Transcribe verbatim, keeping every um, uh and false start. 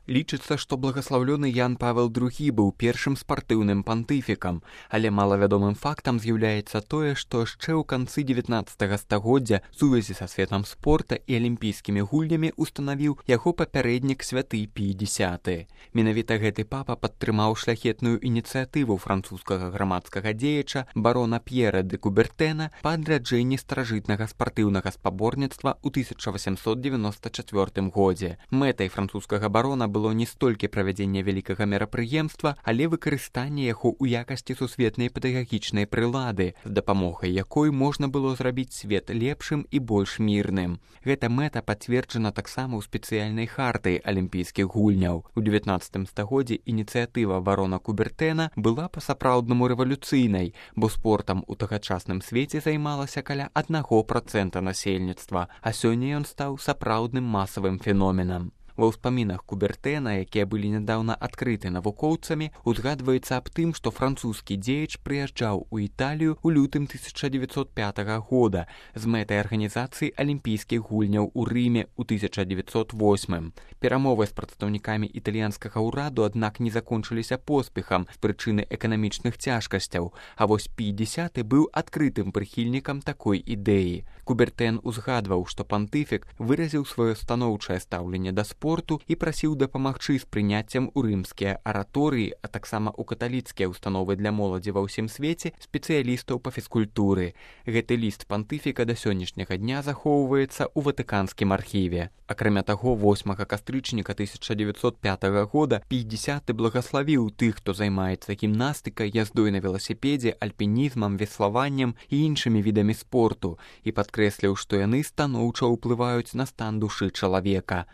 Лічыцца, што благаслаўлёны Ян Павел другі быў першым спартыўным пантыфікам, але малавядомым фактам з'яўляецца тое, што яшчэ ў канцы дзевятнаццатага стагоддзя сувязі са светам спорта і алімпійскімі гульнямі устанавіў яго папярэднік святы Пій дзесяты. Менавіта гэты папа падтрымаў шляхетную ініцыятыву французскага грамадскага дзеяча барона П'ера де Кубертэна па адраджэнні старажытнага спартыўнага спаборніцтва ў тысяча васямсот дзевяноста чацвёртым годзе. Мэтай французскага барона было не столькі правядзення вялікага мерапрыемства, але выкарыстанне яго ў якасці сусветнай педагагічнай прылады, з дапамогай якой можна было зрабіць свет лепшым і больш мірным. Гэта мэта пацверджана таксама ў спецыяльнай харты алімпійскіх гульняў. У дзевятнаццатым стагоддзі ініцыятыва барона Кубертэна была па-сапраўднаму рэвалюцыйнай, бо спортам у тагачасным свеце займалася каля аднаго працэнта насельніцтва, а сёння ён стаў сапраўдным масавым феноменам. Ва ўспамінах Кубертэна, якія былі нядаўна адкрыты навукоўцамі, узгадваецца аб тым, што французскі дзеяч прыязджаў у Італію ў лютым тысяча дзевяцьсот пятага года з мэтай арганізацыі алімпійскіх гульняў у Рыме ў тысяча дзевяцьсот восьмым. Перамовы з прадстаўнікамі італьянскага ўраду, аднак, не закончыліся поспехам з прычыны эканамічных цяжкасцяў, а вось Пій дзесяты быў адкрытым прыхільнікам такой ідэі. Кубертэн узгадваў, што пантыфік выразіў сваё станоўчае стаўленне да спорту і прасіў дапамагчы з прыняццем у рымскія араторыі, а таксама ў каталіцкія ўстановы для моладзі ва ўсім свеце спецыялістаў па фізкультуры. Гэты ліст пантыфіка да сённяшняга дня захоўваецца ў ватыканскім архіве. Акрамя таго, восьмага кастрычніка тысяча дзевяцьсот пятага года Пій дзесяты благаславіў тых, хто займаецца гімнастыкай, яздой на веласіпедзе, альпінізмам, веславаннем і іншымі відамі спорту і падкрэсліў, што яны станоўча ўплываюць на стан душы чалавека.